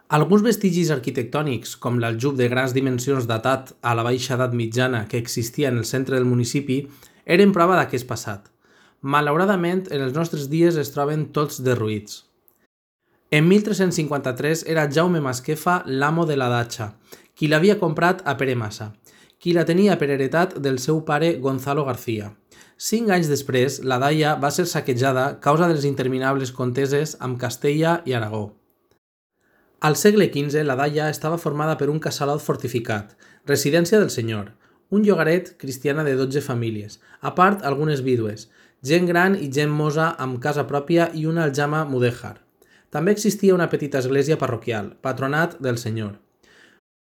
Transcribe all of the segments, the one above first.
Alguns vestigis arquitectònics, com l'aljub de grans dimensions datat a la baixa edat mitjana que existia en el centre del municipi, eren prova d'aquest passat. Malauradament, en els nostres dies es troben tots derruïts. En 1353 era Jaume Masquefa l'amo de la datxa, qui l'havia comprat a Pere Massa, qui la tenia per heretat del seu pare Gonzalo García. 5 anys després, la daia va ser saquejada a causa de les interminables conteses amb Castella i Aragó. Al segle XV, la daia estava formada per un casalot fortificat, residència del senyor, un llogaret cristiana de 12 famílies, a part algunes vídues, gent gran i gent mosa amb casa pròpia i una aljama mudèjar. També existia una petita església parroquial, patronat del senyor.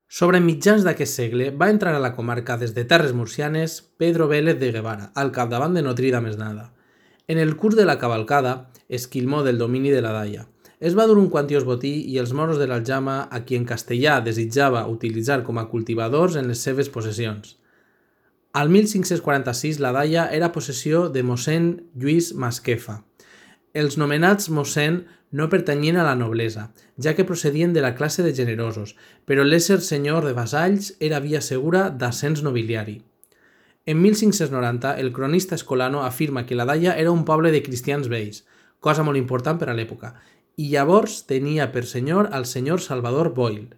Sobre mitjans d'aquest segle va entrar a la comarca des de terres murcianes Pedro Vélez de Guevara, al capdavant de Notrida Mesnada. En el curs de la cavalcada, esquilmó del domini de la daia. Es va dur un quantiós botí i els moros de l'Aljama a qui en castellà desitjava utilitzar com a cultivadors en les seves possessions. Al 1546 la daia era possessió de mossèn Lluís Masquefa. Els nomenats mossèn no pertanyien a la noblesa, ja que procedien de la classe de generosos, però l'ésser senyor de vassalls era via segura d'ascens nobiliari. En 1590, el cronista Escolano afirma que la daia era un poble de cristians vells, cosa molt important per a l'època, i llavors tenia per senyor al senyor Salvador Boil.